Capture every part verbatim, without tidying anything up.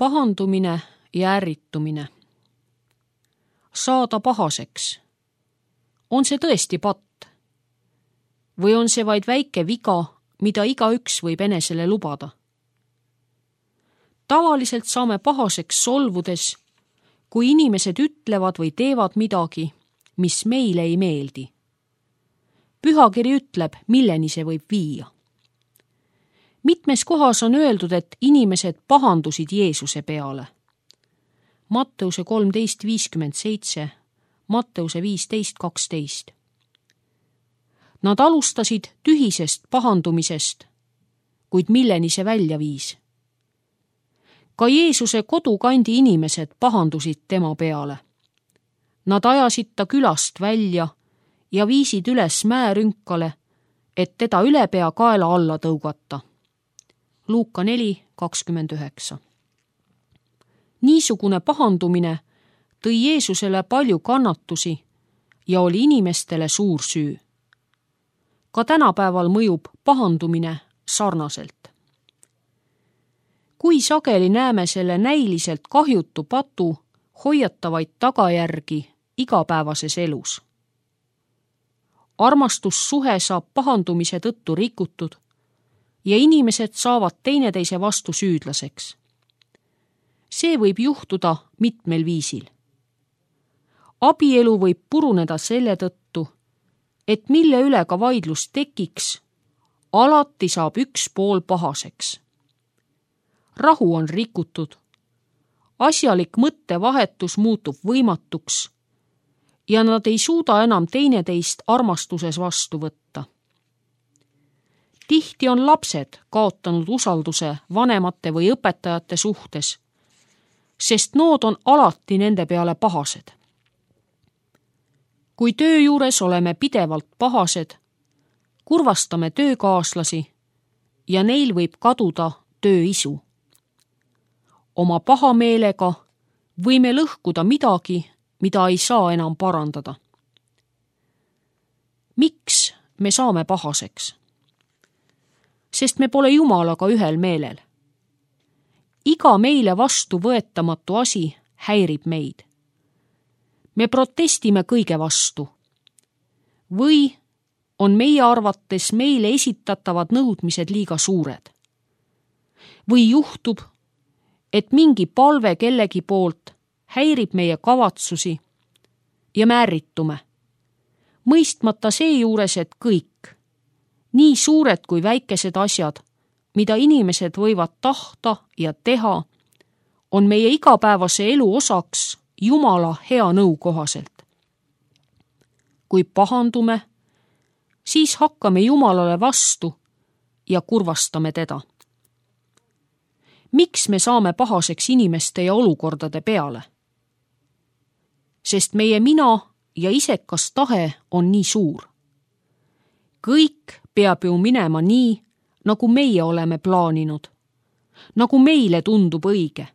pahandumine ja ärritumine. Saada pahaseks. On see tõesti patt? Või on see vaid väike viga, mida igaüks võib enesele lubada? Tavaliselt saame pahaseks solvudes, kui inimesed ütlevad või teevad midagi, mis meile ei meeldi. Pühakiri ütleb, milleni see võib viia. Mitmes kohas on öeldud, et inimesed pahandusid Jeesuse peale. Matteuse kolmteist viiskümmend seitse, Matteuse viisteist kaksteist. Nad alustasid tühisest pahandumisest, kuid milleni see välja viis? Ka Jeesuse kodukandi inimesed pahandusid tema peale. Nad ajasid ta külast välja ja viisid üles mäerünkale, et teda ülepea kaela alla tõugata. Luuka neli kakskümmend üheksa. Niisugune pahandumine tõi Jeesusele palju kannatusi ja oli inimestele suur süü. Ka tänapäeval mõjub pahandumine sarnaselt. Kui sageli näeme selle näiliselt kahjutu patu hoiatavaid tagajärgi igapäevases elus. Armastussuhe saab pahandumise tõttu rikutud ja inimesed saavad teineteise vastu süüdlaseks. See võib juhtuda mitmel viisil. Abielu võib puruneda selle tõttu, et mille üle ka vaidlus tekiks, alati saab üks pool pahaseks. Rahu on rikutud, asjalik mõttevahetus muutub võimatuks ja nad ei suuda enam teineteist armastuses vastu võtta. Tihti on lapsed kaotanud usalduse vanemate või õpetajate suhtes, sest nood on alati nende peale pahased. Kui töö juures oleme pidevalt pahased, kurvastame töökaaslasi ja neil võib kaduda tööisu. Oma pahameelega võime lõhkuda midagi, mida ei saa enam parandada. Miks me saame pahaseks? Sest me pole Jumalaga ühel meelel. Iga meile vastu võetamatu asi häirib meid. Me protestime kõige vastu. Või on meie arvates meile esitatavad nõudmised liiga suured. Või juhtub, et mingi palve kellegi poolt häirib meie kavatsusi ja me ärritume, mõistmata seejuures, et kõik, nii suured kui väikesed asjad, mida inimesed võivad tahta ja teha, on meie igapäevase elu osaks Jumala hea nõu kohaselt. Kui pahandume, siis hakkame Jumalale vastu ja kurvastame teda. Miks me saame pahaseks inimeste ja olukordade peale? Sest meie mina ja isekas tahe on nii suur. Kõik peab ju minema nii, nagu meie oleme plaaninud, nagu meile tundub õige,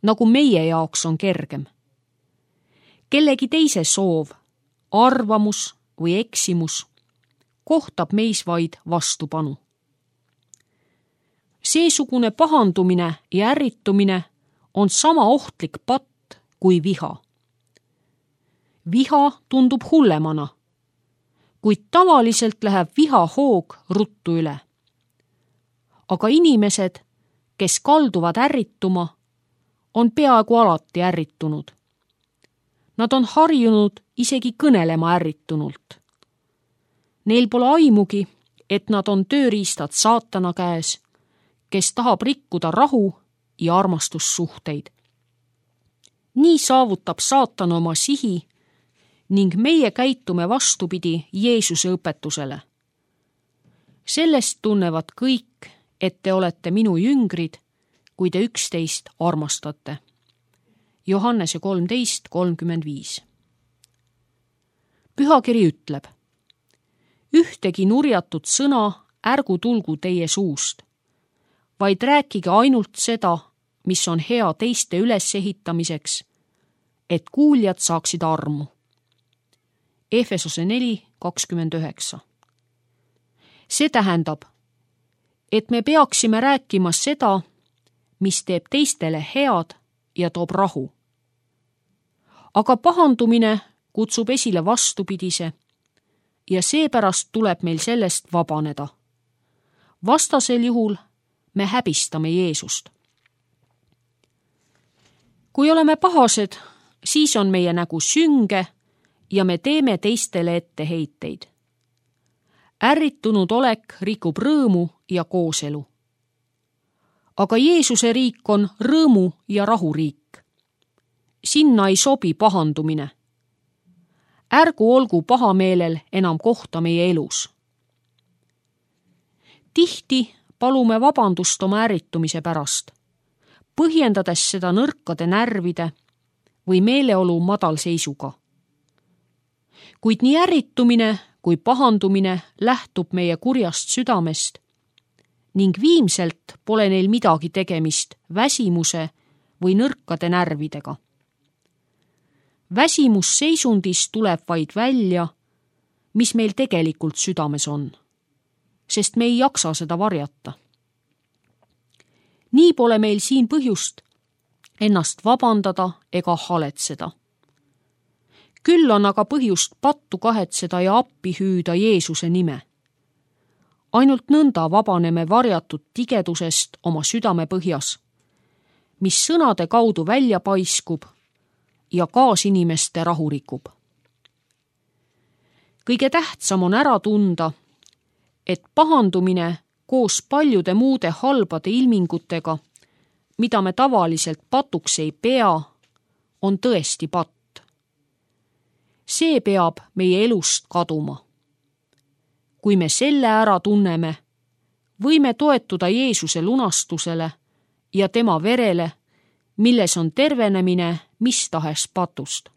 nagu meie jaoks on kergem. Kellegi teise soov, arvamus või eksimus kohtab meis vaid vastupanu. Seesugune pahandumine ja ärritumine on sama ohtlik patt kui viha. Viha tundub hullemana, kuid tavaliselt läheb viha hoog ruttu üle. Aga inimesed, kes kalduvad ärrituma, on peaaegu alati ärritunud. Nad on harjunud isegi kõnelema ärritunult. Neil pole aimugi, et nad on tööriistad saatana käes, kes tahab rikkuda rahu ja armastussuhteid. Nii saavutab saatan oma sihi ning meie käitume vastupidi Jeesuse õpetusele. Sellest tunnevad kõik, et te olete minu jüngrid, kui te üksteist armastate. Johannese kolmteist kolmkümmend viis. Pühakiri ütleb, ühtegi nurjatut sõna ärgu tulgu teie suust, vaid rääkige ainult seda, mis on hea teiste ülesehitamiseks, et kuuljad saaksid armu. Efesose neli kakskümmend üheksa. See tähendab, et me peaksime rääkima seda, mis teeb teistele head ja toob rahu. Aga pahandumine kutsub esile vastupidise ja seepärast tuleb meil sellest vabaneda. Vastasel juhul me häbistame Jeesust. Kui oleme pahased, siis on meie nägu sünge ja me teeme teistele etteheiteid. Ärritunud olek rikub rõõmu ja kooselu. Aga Jeesuse riik on rõõmu ja rahu riik. Sinna ei sobi pahandumine. Ärgu olgu pahameelel enam kohta meie elus. Tihti palume vabandust oma ärritumise pärast, põhjendades seda nõrkade närvide või meeleolu madalseisuga. Kuid nii ärritumine kui pahandumine lähtub meie kurjast südamest ning viimselt pole neil midagi tegemist väsimuse või nõrkade närvidega. Väsimusseisundis tuleb vaid välja, mis meil tegelikult südames on, sest me ei jaksa seda varjata. Nii pole meil siin põhjust ennast vabandada ega haletseda. Küll on aga põhjust pattu kahetseda ja appi hüüda Jeesuse nime. Ainult nõnda vabaneme varjatud tigedusest oma südame põhjas, mis sõnade kaudu välja paiskub ja kaasinimeste rahu rikub. Kõige tähtsam on ära tunda, et pahandumine koos paljude muude halbade ilmingutega, mida me tavaliselt patuks ei pea, on tõesti patt. See peab meie elust kaduma. Kui me selle ära tunneme, võime toetuda Jeesuse lunastusele ja tema verele, milles on tervenemine mis tahes patust.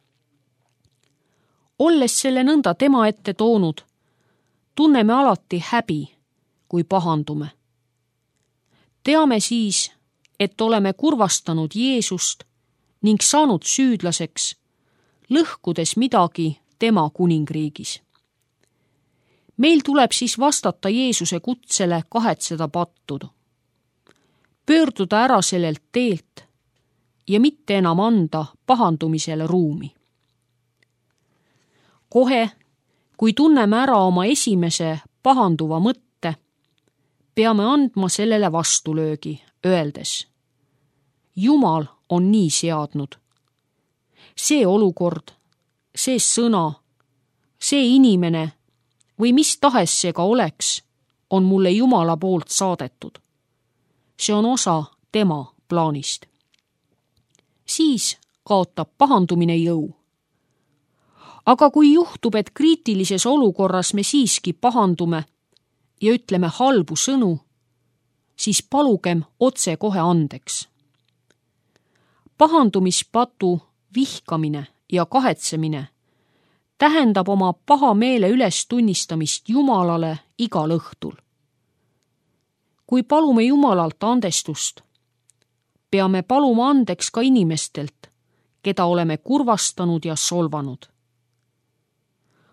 Olles selle nõnda tema ette toonud, tunneme alati häbi, kui pahandume. Teame siis, et oleme kurvastanud Jeesust ning saanud süüdlaseks, lõhkudes midagi tema kuningriigis. Meil tuleb siis vastata Jeesuse kutsele kahetseda pattudu. Pöörduda ära sellelt teelt ja mitte enam anda pahandumisele ruumi. Kohe, kui tunneme ära oma esimese pahanduva mõtte, peame andma sellele vastulöögi, öeldes: Jumal on nii seadnud. See olukord, see sõna, see inimene või mis tahes see ka oleks, on mulle Jumala poolt saadetud. See on osa tema plaanist. Siis kaotab pahandumine jõu. Aga kui juhtub, et kriitilises olukorras me siiski pahandume ja ütleme halbu sõnu, siis palugem otse kohe andeks. Pahandumispatu vihkamine ja kahetsemine tähendab oma paha meele üles tunnistamist Jumalale igal õhtul. Kui palume Jumalalt andestust, peame paluma andeks ka inimestelt, keda oleme kurvastanud ja solvanud.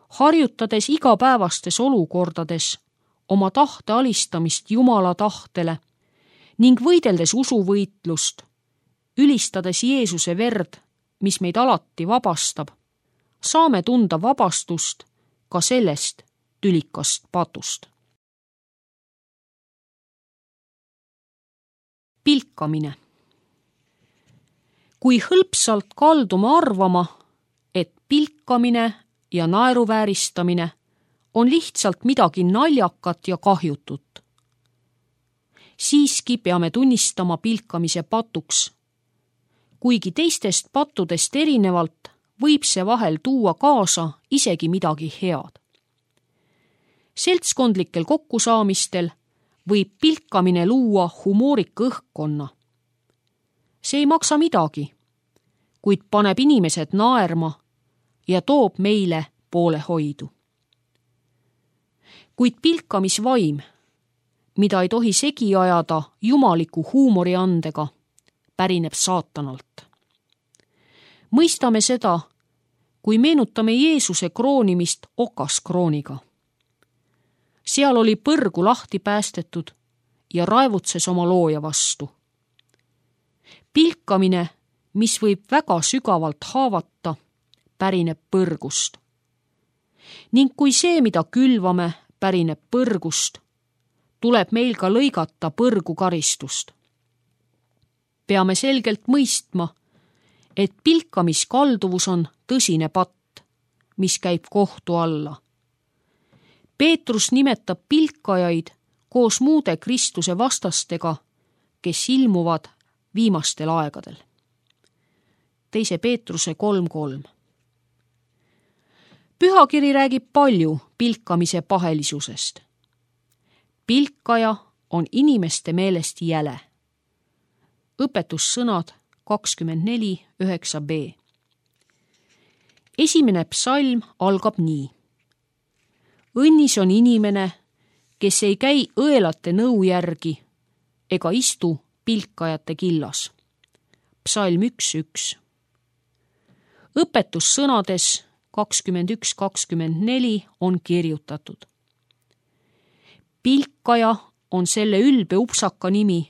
Harjutades igapäevastes olukordades oma tahte alistamist Jumala tahtele ning võideldes usuvõitlust, ülistades Jeesuse verd, mis meid alati vabastab, saame tunda vabastust ka sellest tülikast patust. Pilkamine. Kui hõlpsalt kaldume arvama, et pilkamine ja naeruvääristamine on lihtsalt midagi naljakat ja kahjutut, siiski peame tunnistama pilkamise patuks. Kuigi teistest pattudest erinevalt võib see vahel tuua kaasa isegi midagi head. Seltskondlikel kokkusaamistel võib pilkamine luua humoorika õhkkonna. See ei maksa midagi, kuid paneb inimesed naerma ja toob meile poolehoidu. Kuid pilkamisvaim, mida ei tohi segi ajada jumaliku huumoriandega, pärineb saatanalt. Mõistame seda, kui meenutame Jeesuse kroonimist okaskrooniga. Seal oli põrgu lahti päästetud ja raevutses oma looja vastu. pilkamine, mis võib väga sügavalt haavata, pärineb põrgust. Ning kui see, mida külvame, pärineb põrgust, tuleb meil ka lõigata põrgu karistust. Peame selgelt mõistma, et pilkamiskalduvus on tõsine patt, mis käib kohtu alla. Peetrus nimetab pilkajaid koos muude Kristuse vastastega, kes ilmuvad viimastel aegadel. Teise Peetruse kolm kolm. Pühakiri räägib palju pilkamise pahelisusest. Pilkaja on inimeste meelest jäle. Õpetussõnad kakskümmend neli üheksa b. Esimene psalm algab nii. Õnnis on inimene, kes ei käi õelate nõu järgi ega istu pilkajate killas. Psalm üks üks. Õpetussõnades kakskümmend üks kakskümmend neli on kirjutatud. Pilkaja on selle ülbe upsaka nimi,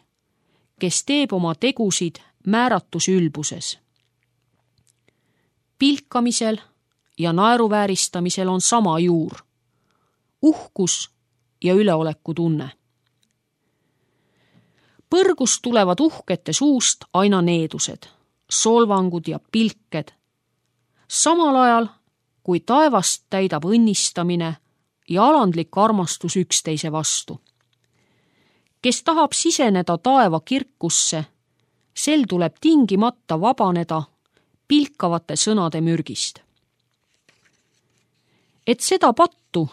kes teeb oma tegusid määratus ülbuses. Pilkamisel ja naeruvääristamisel on sama juur, uhkus ja üleoleku tunne. Põrgust tulevad uhkete suust aina needused, solvangud ja pilked, samal ajal kui taevast täidab õnnistamine ja alandlik armastus üksteise vastu. Kes tahab siseneda taeva kirkusse, sel tuleb tingimata vabaneda pilkavate sõnade mürgist. Et seda pattu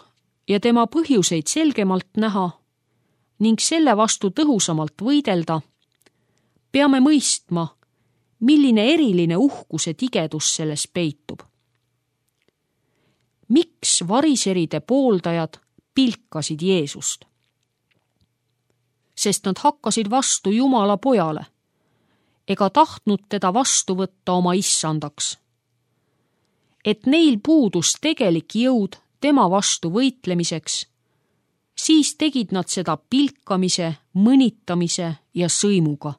ja tema põhjuseid selgemalt näha ning selle vastu tõhusamalt võidelda, peame mõistma, milline eriline uhkuse tigedus selles peitub. Miks variseride pooldajad pilkasid Jeesust? Sest nad hakkasid vastu Jumala pojale ega tahtnud teda vastu võtta oma issandaks. Et neil puudus tegelik jõud tema vastu võitlemiseks, siis tegid nad seda pilkamise, mõnitamise ja sõimuga.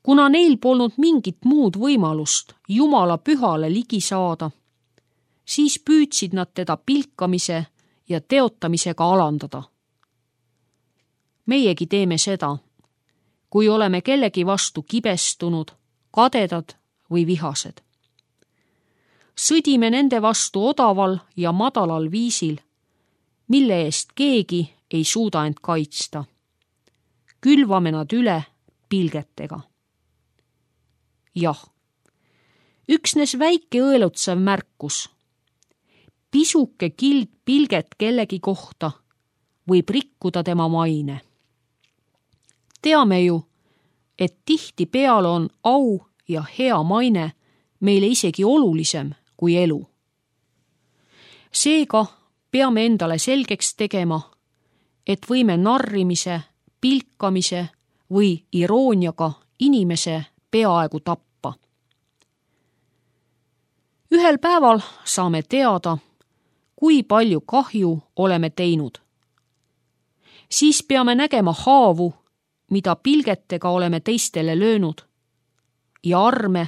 Kuna neil polnud mingit muud võimalust Jumala pühale ligi saada, siis püüdsid nad teda pilkamise ja teotamisega alandada. Meiegi teeme seda, kui oleme kellegi vastu kibestunud, kadedad või vihased. Sõdime nende vastu odaval ja madalal viisil, mille eest keegi ei suuda end kaitsta. Külvame nad üle pilgetega. Jah, üksnes väike õelutsev märkus. Pisuke kild pilget kellegi kohta võib rikkuda tema maine. Teame ju, et tihti peale on au ja hea maine meile isegi olulisem kui elu. Seega peame endale selgeks tegema, et võime narrimise, pilkamise või irooniaga inimese peaaegu tappa. Ühel päeval saame teada, kui palju kahju oleme teinud. Siis peame nägema haavu, mida pilgetega oleme teistele löönud, ja arme,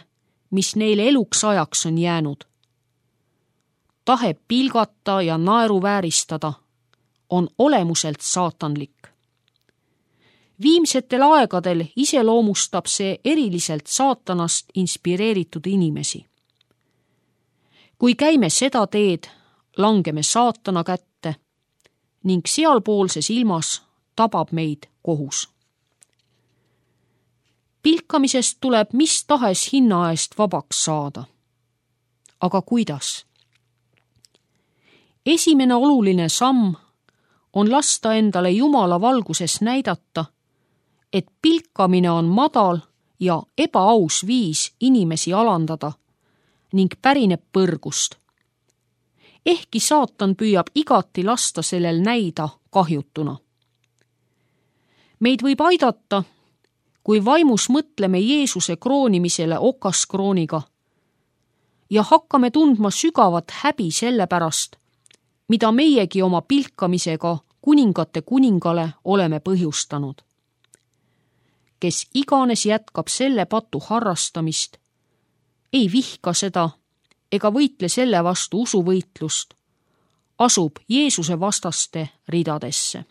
mis neile eluks ajaks on jäänud. Tahe pilgata ja naeruvääristada on olemuselt saatanlik. Viimsetel aegadel iseloomustab see eriliselt saatanast inspireeritud inimesi. Kui käime seda teed, langeme saatana kätte ning sealpoolses ilmas tabab meid kohus. Pilkamisest tuleb mis tahes hinna eest vabaks saada. Aga kuidas? Esimene oluline samm on lasta endale Jumala valguses näidata, et pilkamine on madal ja ebaaus viis inimesi alandada ning pärineb põrgust. Ehkki saatan püüab igati lasta sellel näida kahjutuna. Meid võib aidata, kui vaimus mõtleme Jeesuse kroonimisele okaskrooniga ja hakkame tundma sügavat häbi selle pärast, mida meiegi oma pilkamisega kuningate kuningale oleme põhjustanud. kes iganes jätkab selle patu harrastamist, ei vihka seda ega võitle selle vastu usuvõitlust, asub Jeesuse vastaste ridadesse.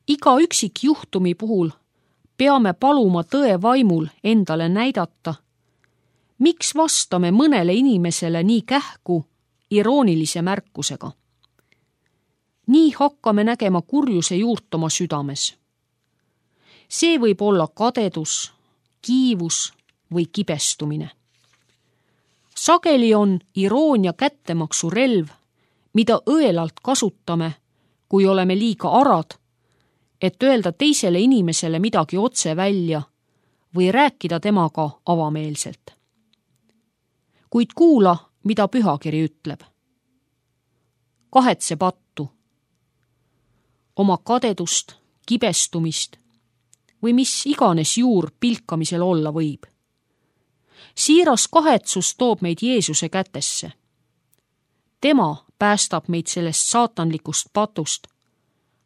Iga üksikjuhtumi puhul peame paluma tõe vaimul endale näidata, miks vastame mõnele inimesele nii kähku iroonilise märkusega. Nii hakkame nägema kurjuse juurt oma südames. See võib olla kadedus, kiivus või kibestumine. Sageli on iroonia kättemaksu relv, mida õelalt kasutame, kui oleme liiga arad, et öelda teisele inimesele midagi otse välja või rääkida temaga avameelselt. Kuid kuula, mida pühakiri ütleb. Kahetse pattu, oma kadedust, kibestumist või mis iganes juur pilkamisel olla võib. Siiras kahetsus toob meid Jeesuse kätesse. Tema päästab meid sellest saatanlikust patust,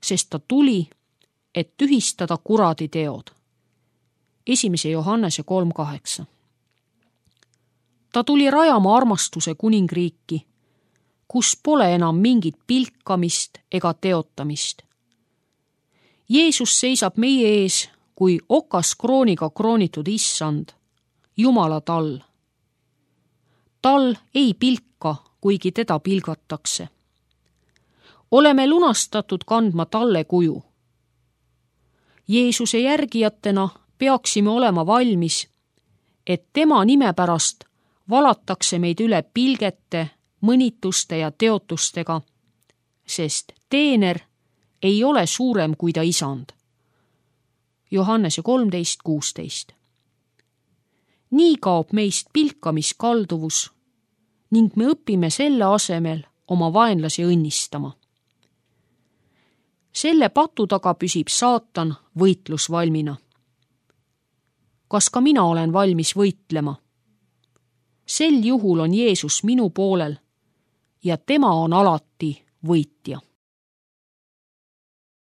sest ta tuli, et tühistada kuradi teod. Esimese Johannese kolm kaheksa. Ta tuli rajama armastuse kuningriiki, kus pole enam mingit pilkamist ega teotamist. Jeesus seisab meie ees kui okas krooniga kroonitud issand, Jumala tall. Tal ei pilka, kuigi teda pilgatakse. Oleme lunastatud kandma talle kuju. Jeesuse järgijatena peaksime olema valmis, et tema nime pärast valatakse meid üle pilgete, mõnituste ja teotustega, sest teener ei ole suurem kui ta isand. Johannese kolmteist kuusteist. Nii kaob meist pilkamiskalduvus ning me õpime selle asemel oma vaenlasi õnnistama. Selle patu taga püsib saatan võitlusvalmina. Kas ka mina olen valmis võitlema? Sel juhul on Jeesus minu poolel ja tema on alati võitja.